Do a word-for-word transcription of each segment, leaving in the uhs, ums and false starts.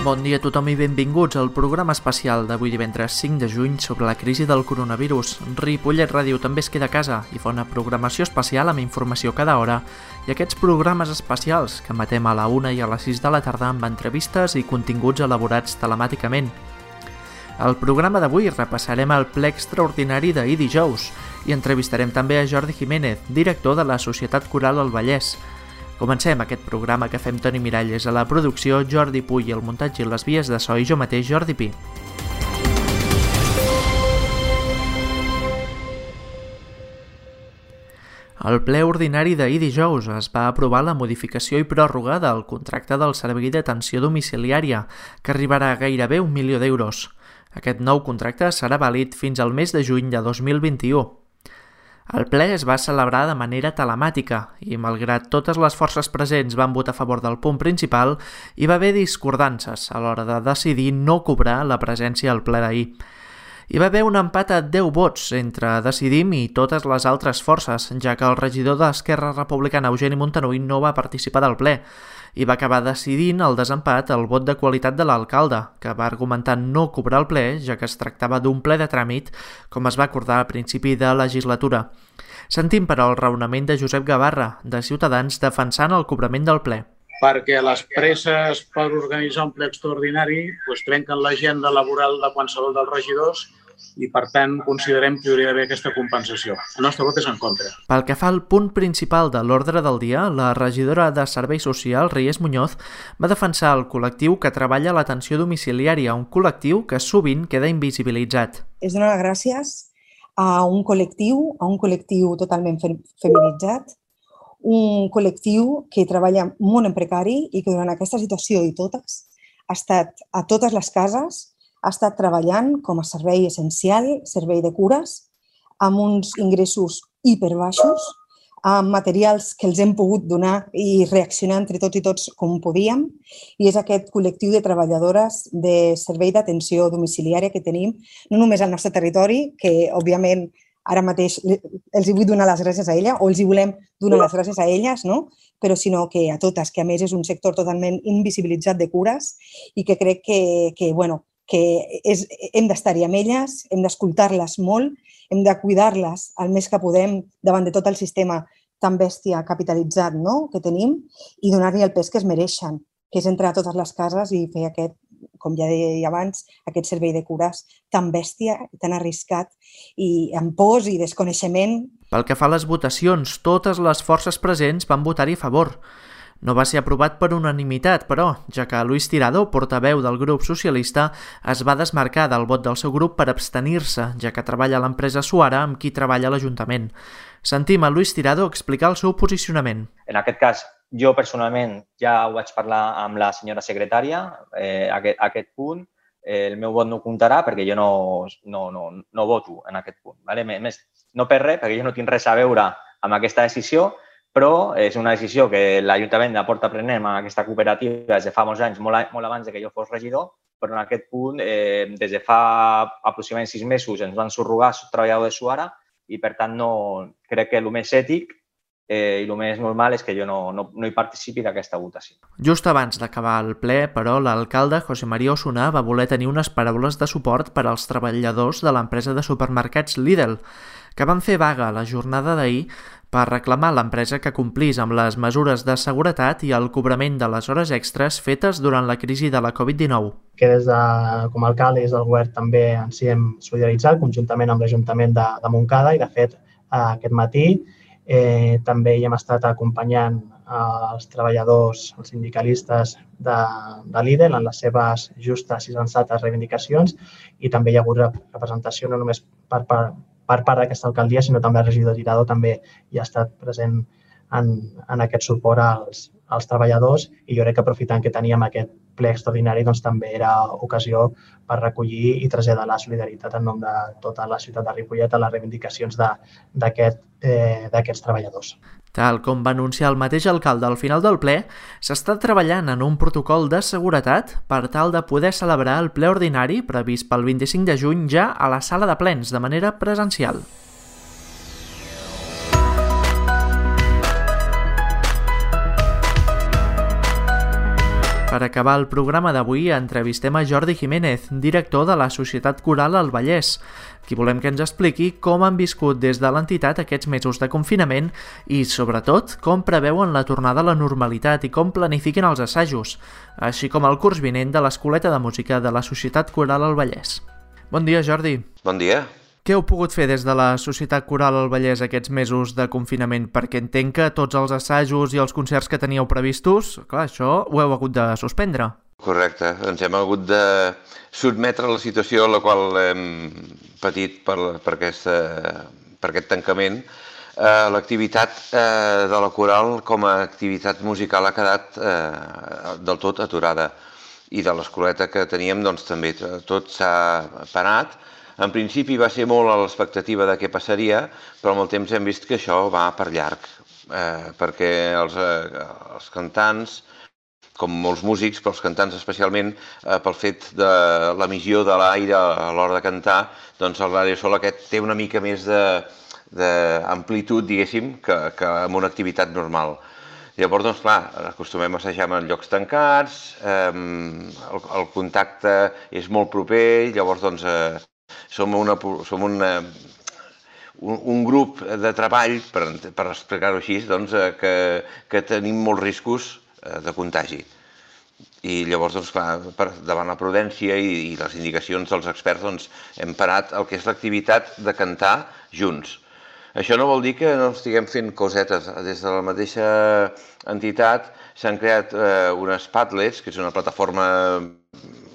Bon dia a tothom i benvinguts al programa especial d'avui divendres cinc de juny sobre la crisi del coronavirus. Ripollet Ràdio també es queda a casa i fa una programació especial amb informació cada hora i aquests programes especials que emetem a la una i a les sis de la tarda amb entrevistes i continguts elaborats telemàticament. Al programa d'avui repassarem el ple extraordinari d'ahir dijous i entrevistarem també a Jordi Jiménez, director de la Societat Coral El Vallès. Comencem aquest programa que fem Toni Miralles a la producció, Jordi Puy, el muntatge i les vies de so i jo mateix, Jordi Pi. Al ple ordinari d'ahir dijous es va aprovar la modificació i pròrroga del contracte del servei d'atenció domiciliària, que arribarà a gairebé un milió d'euros. Aquest nou contracte serà vàlid fins al mes de juny de dos mil vint-i-u. El ple es va celebrar de manera telemàtica i, malgrat totes les forces presents van votar a favor del punt principal, hi va haver discordances a l'hora de decidir no cobrar la presència al ple d'ahir. Hi va haver un empat a deu vots entre Decidim i totes les altres forces, ja que el regidor d'Esquerra Republicana, Eugeni Montanui, no va participar del ple i va acabar decidint el desempat el vot de qualitat de l'alcalde, que va argumentar no cobrar el ple, ja que es tractava d'un ple de tràmit, com es va acordar a principi de legislatura. Sentim, però, el raonament de Josep Gavarra, de Ciutadans, defensant el cobrament del ple. Perquè les presses per organitzar un ple extraordinari doncs, trenquen l'agenda laboral de qualsevol dels regidors i, per tant, considerem que hi hauria d'haver aquesta compensació. El nostre vot és en contra. Pel que fa al punt principal de l'ordre del dia, la regidora de Serveis Socials, Reyes Muñoz, va defensar el col·lectiu que treballa a l'atenció domiciliària, un col·lectiu que sovint queda invisibilitzat. És donar les gràcies a un col·lectiu, a un col·lectiu totalment feminitzat, un col·lectiu que treballa molt en precari i que durant aquesta situació i totes ha estat a totes les cases, ha estat treballant com a servei essencial, servei de cures, amb uns ingressos hiperbaixos, amb materials que els hem pogut donar i reaccionar entre tots i tots com podíem, i és aquest col·lectiu de treballadores de servei d'atenció domiciliària que tenim, no només al nostre territori, que òbviament ara mateix els hi vull donar les gràcies a ella, o els hi volem donar les gràcies a elles, no? Però sinó que a totes, que a més és un sector totalment invisibilitzat de cures i que crec que, que bueno, que és, hem d'estar-hi amb elles, hem d'escoltar-les molt, hem de cuidar-les el més que podem davant de tot el sistema tan bèstia capitalitzat, no?, que tenim i donar-li el pes que es mereixen, que és entrar a totes les cases i fer aquest, com ja deia abans, aquest servei de cures tan bèstia, tan arriscat i amb pors i desconeixement. Pel que fa a les votacions, totes les forces presents van votar-hi a favor. No va ser aprovat per unanimitat, però, ja que Luis Tirado, portaveu del grup socialista, es va desmarcar del vot del seu grup per abstenir-se, ja que treballa a l'empresa Suara amb qui treballa a l'Ajuntament. Sentim a Luis Tirado explicar el seu posicionament. En aquest cas, jo personalment ja ho vaig parlar amb la senyora secretària, eh, aquest, aquest punt, eh, el meu vot no comptarà perquè jo no, no, no, no voto en aquest punt. Vale? Més, no per res, perquè jo no tinc res a veure amb aquesta decisió, però és una decisió que l'Ajuntament la porta prenent amb aquesta cooperativa des de fa molts anys, molt, molt abans que jo fos regidor, però en aquest punt, eh, des de fa aproximadament sis mesos ens van subrogar treballadors de Suara i, per tant, no, crec que el més ètic eh, i el més normal és que jo no, no, no hi participi d'aquesta votació. Just abans d'acabar el ple, però, l'alcalde José María Osuna va voler tenir unes paraules de suport per als treballadors de l'empresa de supermercats Lidl, que van fer vaga la jornada d'ahir per reclamar a l'empresa que complís amb les mesures de seguretat i el cobrament de les hores extres fetes durant la crisi de la covid dinou. Que des de, com a alcalde i des del govern també ens hi hem solidaritzat conjuntament amb l'Ajuntament de, de Montcada i, de fet, aquest matí eh, també hi hem estat acompanyant els treballadors, els sindicalistes de, de Lidl en les seves justes i sensates reivindicacions i també hi ha hagut representació no només per part per part d'aquesta alcaldia, sinó també el regidor Tirado també hi ha estat present en, en aquest suport als, als treballadors i jo crec que aprofitant que teníem aquest ple extraordinari doncs també era ocasió per recollir i traslladar la solidaritat en nom de tota la ciutat de Ripollet a les reivindicacions d'aquest, eh, d'aquests treballadors. Tal com va anunciar el mateix alcalde al final del ple, s'està treballant en un protocol de seguretat per tal de poder celebrar el ple ordinari previst pel vint-i-cinc de juny ja a la sala de plens de manera presencial. Per acabar el programa d'avui, entrevistem a Jordi Jiménez, director de la Societat Coral al Vallès, qui volem que ens expliqui com han viscut des de l'entitat aquests mesos de confinament i, sobretot, com preveuen la tornada a la normalitat i com planifiquen els assajos, així com el curs vinent de l'Escoleta de Música de la Societat Coral al Vallès. Bon dia, Jordi. Bon dia. Què heu pogut fer des de la Societat Coral al Vallès aquests mesos de confinament? Perquè entenc que tots els assajos i els concerts que teníeu previstos, clar, això ho heu hagut de suspendre. Correcte, ens hem hagut de sotmetre a la situació a la qual hem patit per, per, aquesta, per aquest tancament. Eh, L'activitat eh, de la coral com a activitat musical ha quedat eh, del tot aturada. I de l'escoleta que teníem doncs, també tot s'ha parat. En principi va ser molt a l'expectativa de què passaria, però amb el temps hem vist que això va per llarg, eh, perquè els, eh, els cantants, com molts músics, però els cantants especialment, eh, pel fet de l'emissió de l'aire a l'hora de cantar, doncs l'aerosol aquest té una mica més d'amplitud, diguéssim, que, que en una activitat normal. Llavors, doncs, clar, acostumem a assajar en llocs tancats, eh, el, el contacte és molt proper, llavors, doncs, eh, Som, una, som una, un, un grup de treball, per, per explicar-ho així, doncs, que, que tenim molts riscos de contagi. I llavors, doncs, clar, per, davant la prudència i, i les indicacions dels experts, doncs, hem parat el que és l'activitat de cantar junts. Això no vol dir que no estiguem fent cosetes. Des de la mateixa entitat s'han creat eh, unes Padlets, que és una plataforma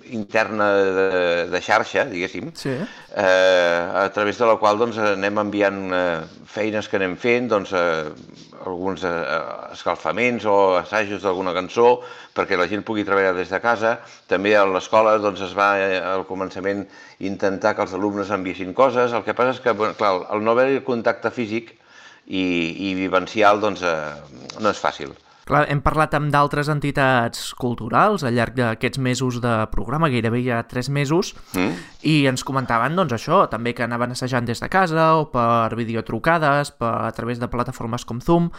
interna de, de xarxa, diguéssim, sí. eh, a través de la qual doncs, anem enviant eh, feines que anem fent, doncs, eh, alguns eh, escalfaments o assajos d'alguna cançó, perquè la gent pugui treballar des de casa. També a l'escola doncs, es va eh, al començament intentar que els alumnes enviessin coses. El que passa és que, bueno, clar, el no haver contacte físic i, i vivencial doncs, eh, no és fàcil. Clar, hem parlat amb d'altres entitats culturals al llarg d'aquests mesos de programa, gairebé ja tres mesos, mm. i ens comentaven doncs, això, també que anaven assajant des de casa o per videotrucades, per, a través de plataformes com Zoom.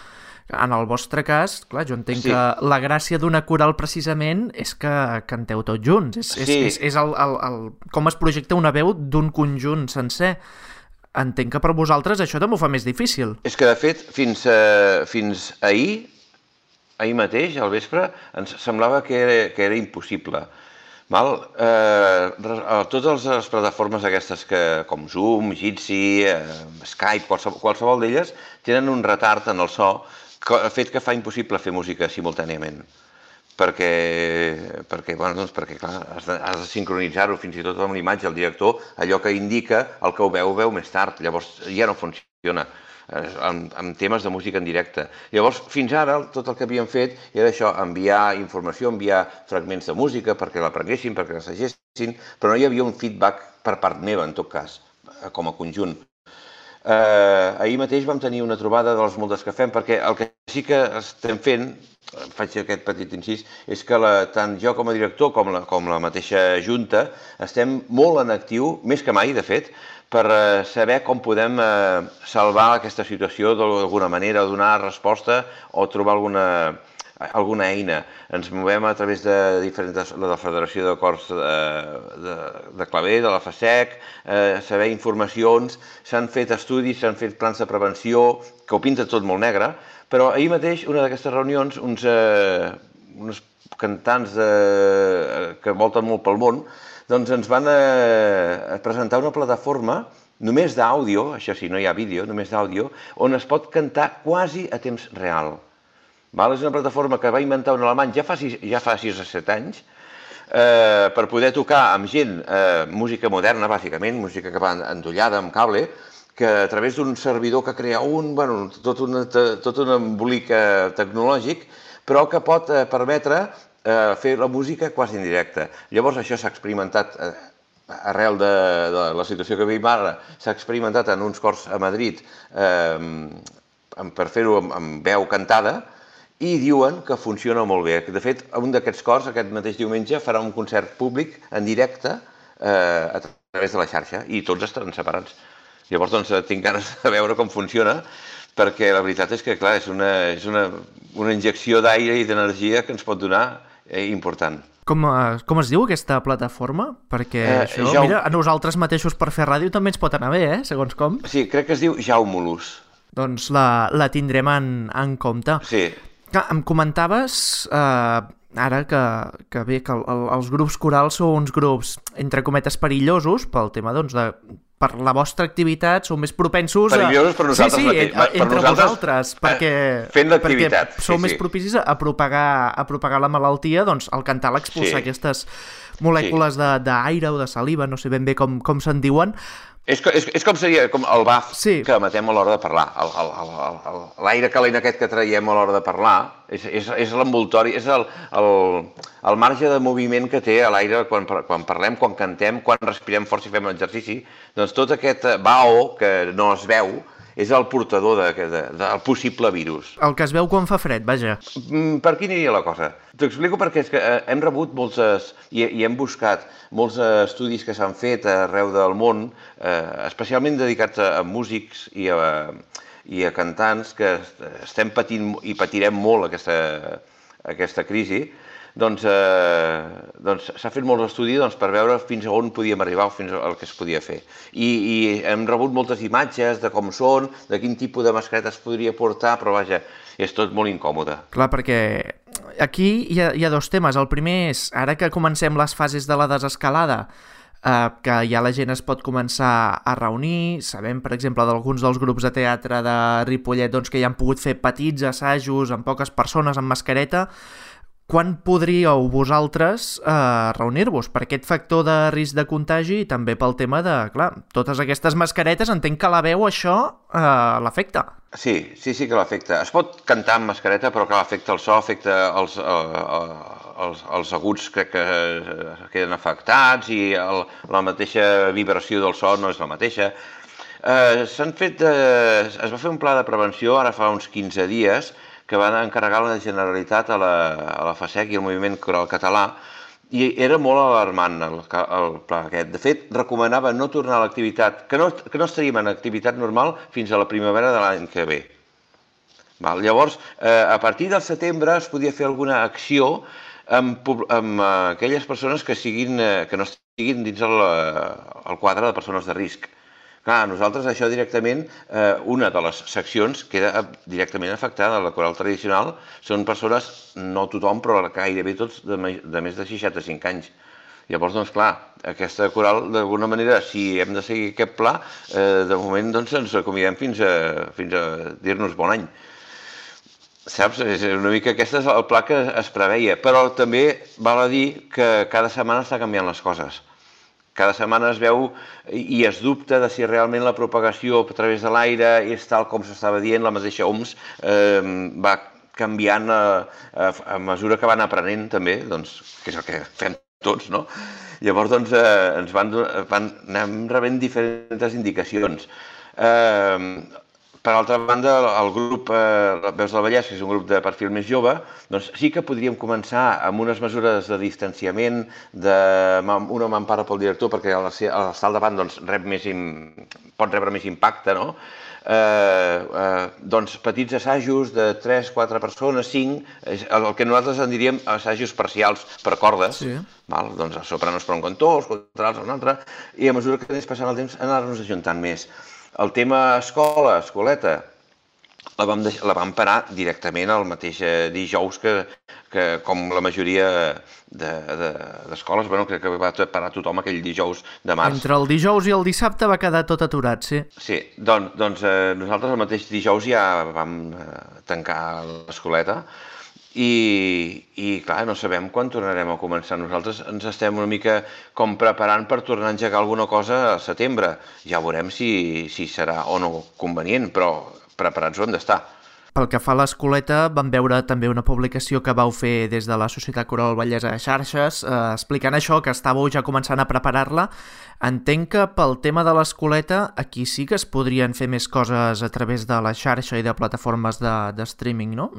En el vostre cas, clar, jo entenc sí. que la gràcia d'una coral precisament és que canteu tots junts. És, sí. és, és, és el, el, el, com es projecta una veu d'un conjunt sencer. Entenc que per vosaltres això també ho fa més difícil. És que, de fet, fins, uh, fins ahir, ahir mateix, al vespre, ens semblava que era, que era impossible. Val? Eh, totes les plataformes aquestes que, com Zoom, Jitsi, eh, Skype, qualsevol, qualsevol d'elles, tenen un retard en el so, que, el fet que fa impossible fer música simultàniament. Perquè, perquè, bueno, doncs perquè clar, has de, has de sincronitzar-ho fins i tot amb l'imatge, el director, allò que indica el que ho veu, ho veu més tard, llavors ja no funciona. Amb, amb temes de música en directe. Llavors, fins ara, tot el que havíem fet era això, enviar informació, enviar fragments de música perquè l'aprenguessin, perquè l'assagessin, però no hi havia un feedback per part meva, en tot cas, com a conjunt. Eh, ahir mateix vam tenir una trobada de les moltes que fem, perquè el que sí que estem fent, faig aquest petit incís, és que la, tant jo com a director com la, com la mateixa junta estem molt en actiu, més que mai, de fet, per saber com podem salvar aquesta situació d'alguna manera, donar resposta o trobar alguna, alguna eina. Ens movem a través de diferents, de la Federació de Cors de, de, de Claver, de la FASEC, eh, saber informacions, s'han fet estudis, s'han fet plans de prevenció, que ho pinta tot molt negre, però ahir mateix, una d'aquestes reunions, uns, eh, uns cantants de, que volten molt pel món, doncs ens van eh, presentar una plataforma només d'àudio, això sí, no hi ha vídeo, només d'àudio, on es pot cantar quasi a temps real. Val? És una plataforma que va inventar un alemany ja fa sis, ja fa sis o set anys, eh, per poder tocar amb gent eh, música moderna, bàsicament, música que va endollada amb cable, que a través d'un servidor que crea un, bueno, tot, una, tot un embolic eh, tecnològic, però que pot eh, permetre fer la música quasi en directe. Llavors això s'ha experimentat arrel de, de la situació que vivim ara, s'ha experimentat en uns cors a Madrid eh, per fer-ho amb, amb veu cantada i diuen que funciona molt bé. De fet, un d'aquests cors, aquest mateix diumenge, farà un concert públic en directe eh, a través de la xarxa i tots estaran separats. Llavors, doncs, tinc ganes de veure com funciona, perquè la veritat és que, clar, és una, és una, una injecció d'aire i d'energia que ens pot donar important. Com, com es diu aquesta plataforma? Perquè eh, això, ja... mira, a nosaltres mateixos per fer ràdio també ens pot anar bé, eh? Segons com. Sí, crec que es diu Jaumulus. Doncs la, la tindrem en, en compte. Sí. Que em comentaves, eh, ara que, que bé, que el, el, els grups corals són uns grups, entre cometes, perillosos pel tema, doncs, de per la vostra activitat sou més propensos a... Perillosos per nosaltres sí, sí, mateix. a, entre per nosaltres, vosaltres, perquè, fent l'activitat. perquè sou sí, més sí. propicis a propagar, a propagar la malaltia, doncs al cantar l'expulsar Sí. aquestes molècules sí. d'aire o de saliva, no sé ben bé com, com se'n diuen. És, és, és com seria com el baf Sí. que emetem a l'hora de parlar. L'aire calent aquest que traiem a l'hora de parlar és, és, és l'envoltori, és el, el, el marge de moviment que té a l'aire quan, quan parlem, quan cantem, quan respirem fort i fem exercici. Doncs tot aquest vaho que no es veu és el portador de, de, del possible virus. El que es veu quan fa fred, vaja. Per aquí aniria la cosa? T'ho explico perquè és que hem rebut moltes, i, i hem buscat molts estudis que s'han fet arreu del món, eh, especialment dedicats a, a músics i a, i a cantants que estem patint i patirem molt aquesta, aquesta crisi. Doncs, eh, doncs s'ha fet molts estudis doncs, per veure fins a on podíem arribar o fins al que es podia fer. I, i hem rebut moltes imatges de com són, de quin tipus de mascareta es podria portar, però vaja, és tot molt incòmode. Clar, perquè aquí hi ha, hi ha dos temes. El primer és, ara que comencem les fases de la desescalada, eh, que ja la gent es pot començar a reunir, sabem, per exemple, d'alguns dels grups de teatre de Ripollet doncs, que ja han pogut fer petits assajos amb poques persones, amb mascareta. Quan podríeu vosaltres eh, reunir-vos? Per aquest factor de risc de contagi i també pel tema de, clar, totes aquestes mascaretes, entenc que la veu això eh, l'afecta. Sí, sí, sí que l'afecta. Es pot cantar amb mascareta, però clar, afecta el so, afecta els, eh, els, els aguts que, que queden afectats i el, la mateixa vibració del so no és la mateixa. Eh, s'han fet, eh, es va fer un pla de prevenció ara fa uns quinze dies que van encarregar la Generalitat a la, a la FASEC i al Moviment Coral Català, i era molt alarmant el, el pla aquest. De fet, recomanava no tornar a l'activitat, que, no, que no estaríem en activitat normal fins a la primavera de l'any que ve. Val? Llavors, eh, a partir del setembre es podia fer alguna acció amb, amb aquelles persones que, siguin, que no estiguin dins el, el quadre de persones de risc. Clar, nosaltres això directament, eh, una de les seccions queda directament afectada. La coral tradicional són persones, no tothom, però gairebé tots de, de més de seixanta-cinc anys. Llavors, doncs clar, aquesta coral, d'alguna manera, si hem de seguir aquest pla, eh, de moment doncs, ens acomidem fins a, fins a dir-nos bon any. Saps? És una mica aquest és el pla que es preveia, però també val a dir que cada setmana està canviant les coses. Cada setmana es veu i es dubta de si realment la propagació a través de l'aire és tal com s'estava dient, la mateixa O M S eh, va canviant a, a, a mesura que van aprenent també, doncs, que és el que fem tots, no? Llavors, doncs, eh, ens van, van, anem rebent diferents indicacions. Eh, Per altra banda, el grup eh, Veus del Vallès, que és un grup de perfil més jove, doncs sí que podríem començar amb unes mesures de distanciament, de, una mampara pel director, perquè a l'estar al davant doncs, rep més, pot rebre més impacte, no? Eh, eh, doncs petits assajos de tres, quatre persones, cinc, el que nosaltres en diríem assajos parcials per cordes, sí. Val? Doncs sopranos per un cantó, els contrals per un altre, i a mesura que anés passant el temps anar-nos ajuntant més. El tema escola, escoleta, la vam, deixar, la vam parar directament el mateix dijous que, que com la majoria d'escoles, de, de, bueno, que, que va parar tothom aquell dijous de març. Entre el dijous i el dissabte va quedar tot aturat, sí. Sí, doncs, doncs eh, nosaltres el mateix dijous ja vam eh, tancar l'escoleta i, i clar, no sabem quan tornarem a començar. Nosaltres ens estem una mica com preparant per tornar a engegar alguna cosa al setembre. Ja veurem si, si serà o no convenient, però preparats ho hem d'estar. Pel que fa a l'escoleta, vam veure també una publicació que vau fer des de la Societat Coral Vallesa a xarxes, eh, explicant això, que estàveu ja començant a preparar-la. Entenc que pel tema de l'escoleta, aquí sí que es podrien fer més coses a través de la xarxa i de plataformes de, de streaming, no?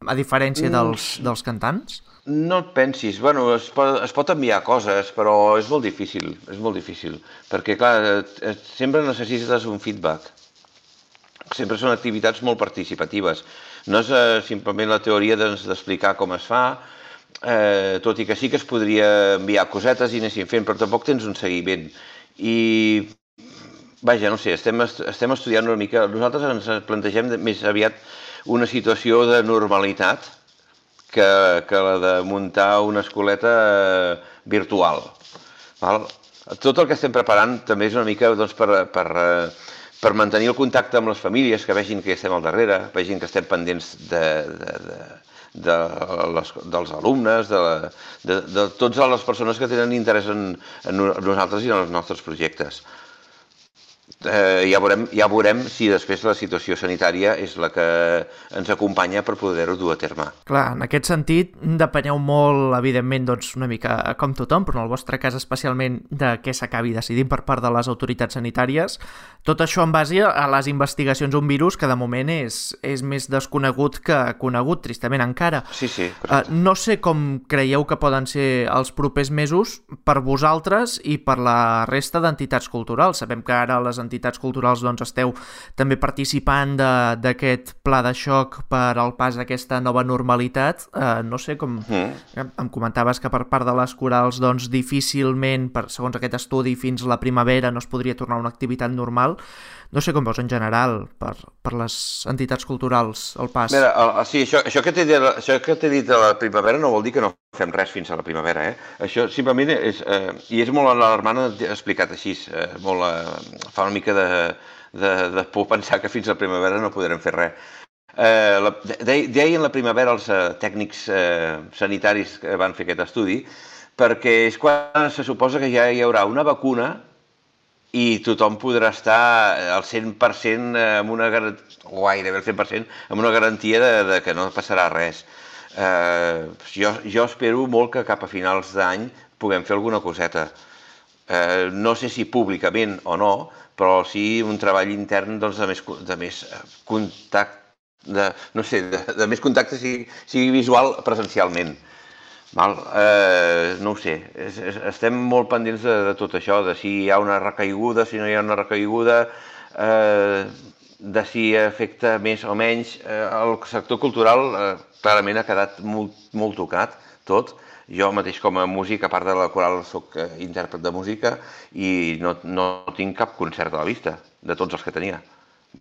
A diferència dels, dels cantants? No et pensis. Bueno, es pot, es pot enviar coses, però és molt difícil, és molt difícil, perquè, clar, sempre necessites un feedback. Sempre són activitats molt participatives. No és eh, simplement la teoria d'explicar com es fa, eh, tot i que sí que es podria enviar cosetes i anessin fent, però tampoc tens un seguiment. I, vaja, no sé, estem, estem estudiant una mica. Nosaltres ens plantegem més aviat una situació de normalitat que, que la de muntar una escoleta eh, virtual. Val? Tot el que estem preparant també és una mica doncs, per, per, per mantenir el contacte amb les famílies, que vegin que estem al darrere, vegin que estem pendents de, de, de, de les, dels alumnes, de, la, de, de totes les persones que tenen interès en, en nosaltres i en els nostres projectes. Eh, ja, veurem, ja veurem si després la situació sanitària és la que ens acompanya per poder-ho dur a terme. Clar, en aquest sentit, depeneu molt, evidentment, doncs, una mica com tothom, però en el vostre cas especialment de què s'acabi decidint per part de les autoritats sanitàries. Tot això en base a les investigacions d'un virus que de moment és, és més desconegut que conegut, tristament encara. Sí, sí. Uh, no sé com creieu que poden ser els propers mesos per vosaltres i per la resta d'entitats culturals. Sabem que ara les entitats culturals doncs, esteu també participant d'aquest pla de xoc per al pas d'aquesta nova normalitat. Uh, no sé com... Mm. Em comentaves que per part de les corals doncs, difícilment, per, segons aquest estudi, fins la primavera no es podria tornar a una activitat normal. No sé com veus en general per, per les entitats culturals el pas. Mira, el, sí, això, això que t'he dit, això que t'he dit de la primavera no vol dir que no fem res fins a la primavera, eh? Això simplement és, eh, i és molt alarmant explicat així, eh, molt, eh, fa una mica de, de, de por pensar que fins a la primavera no podrem fer res. Eh, la, de, deien la primavera els eh, tècnics eh, sanitaris que van fer aquest estudi, perquè és quan se suposa que ja hi haurà una vacuna i tothom podrà estar al cent per cent amb una garantia, o gairebé al cent per cent, amb una garantia de, de que no passarà res. Eh, jo, jo espero molt que cap a finals d'any puguem fer alguna coseta. Eh, no sé si públicament o no, però sí un treball intern doncs, de, més, de més contacte, de, no sé, de, de més contacte sigui, sigui visual presencialment. Val? Eh, no ho sé, es, es, estem molt pendents de, de tot això, de si hi ha una recaiguda, si no hi ha una recaiguda, eh, de si afecta més o menys. Eh, el sector cultural eh, clarament ha quedat molt, molt tocat, tot. Jo mateix com a músic, a part de la coral, soc eh, intèrpret de música i no, no tinc cap concert a la vista, de tots els que tenia.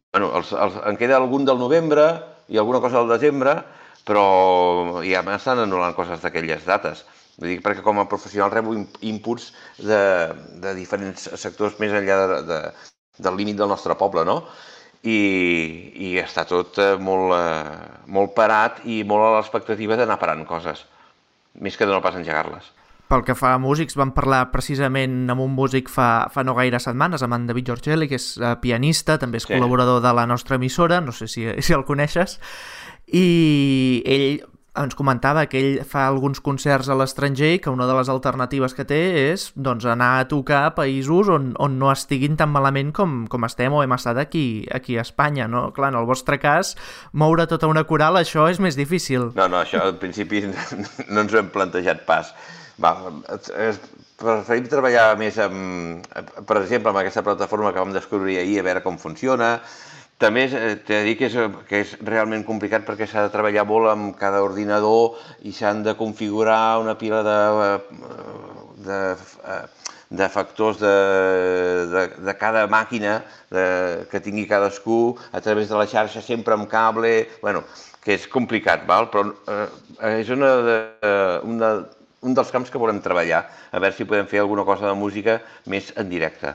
Bueno, els, els, en queda algun del novembre i alguna cosa del desembre, però ja m'estan anul·lant coses d'aquelles dates. Vull dir, perquè com a professional rebo inputs de, de diferents sectors més enllà de, de, del límit del nostre poble, no? I, i està tot molt, molt parat i molt a l'expectativa d'anar parant coses, més que de no pas engegar-les. Pel que fa a músics, vam parlar precisament amb un músic fa, fa no gaire setmanes, amb en David Giorgelli, que és pianista, també és sí. col·laborador de la nostra emissora, no sé si, si el coneixes, i ell ens comentava que ell fa alguns concerts a l'estranger i que una de les alternatives que té és doncs, anar a tocar a països on, on no estiguin tan malament com, com estem o hem estat aquí, aquí a Espanya, no? Clar, en el vostre cas, moure tota una coral, això és més difícil. No, no, això al principi no ens ho hem plantejat pas. Va, preferim treballar més amb, per exemple, amb aquesta plataforma que vam descobrir ahir, a veure com funciona. També t'he de dir que és, que és realment complicat perquè s'ha de treballar molt amb cada ordinador i s'han de configurar una pila de, de, de factors de, de, de cada màquina de, que tingui cadascú a través de la xarxa, sempre amb cable, bueno, que és complicat, val? Però eh, és una de, una, un dels camps que volem treballar, a veure si podem fer alguna cosa de música més en directe,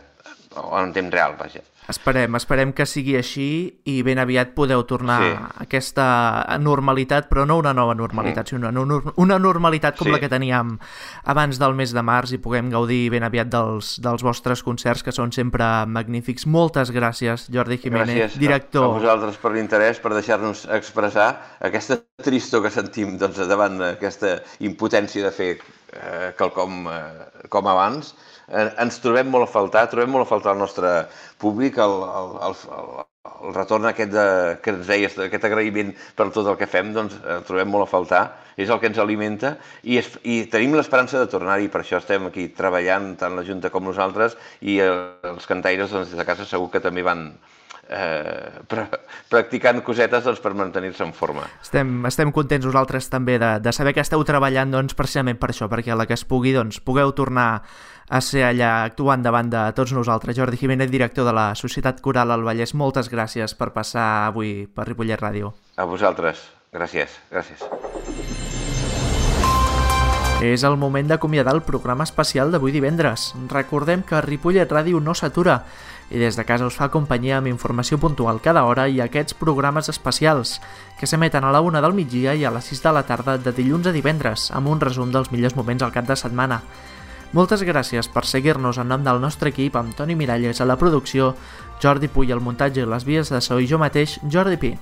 o en temps real, vaja. Esperem, esperem que sigui així i ben aviat podeu tornar sí. a aquesta normalitat, però no una nova normalitat, mm. sinó una, una normalitat com sí. la que teníem abans del mes de març i puguem gaudir ben aviat dels, dels vostres concerts, que són sempre magnífics. Moltes gràcies, Jordi Jiménez, gràcies director. Gràcies a vosaltres per l'interès, per deixar-nos expressar aquesta tristor que sentim doncs, davant d'aquesta impotència de fer eh, quelcom eh, com abans. Ens trobem molt a faltar, trobem molt a faltar el nostre públic, el, el, el, el retorn aquest de, que ens deies, aquest agraïment per tot el que fem, doncs el trobem molt a faltar, és el que ens alimenta i, es, i tenim l'esperança de tornar-hi, per això estem aquí treballant, tant la Junta com nosaltres, i els cantaires doncs, des de casa segur que també van eh, practicant cosetes doncs, per mantenir-se en forma. Estem, estem contents nosaltres també de, de saber que esteu treballant doncs, precisament per això, perquè a la que es pugui doncs, pugueu tornar a ser allà actuant davant de tots nosaltres. Jordi Jiménez, director de la Societat Coral al Vallès, moltes gràcies per passar avui per Ripollet Ràdio. A vosaltres. Gràcies. Gràcies. És el moment d'acomiadar el programa especial d'avui divendres. Recordem que Ripollet Ràdio no s'atura i des de casa us fa companyia amb informació puntual cada hora i aquests programes especials que s'emeten a la una del migdia i a les sis de la tarda de dilluns a divendres amb un resum dels millors moments al cap de setmana. Moltes gràcies per seguir-nos en nom del nostre equip amb Toni Miralles a la producció, Jordi Puy al muntatge i les vies de so i jo mateix, Jordi Pi.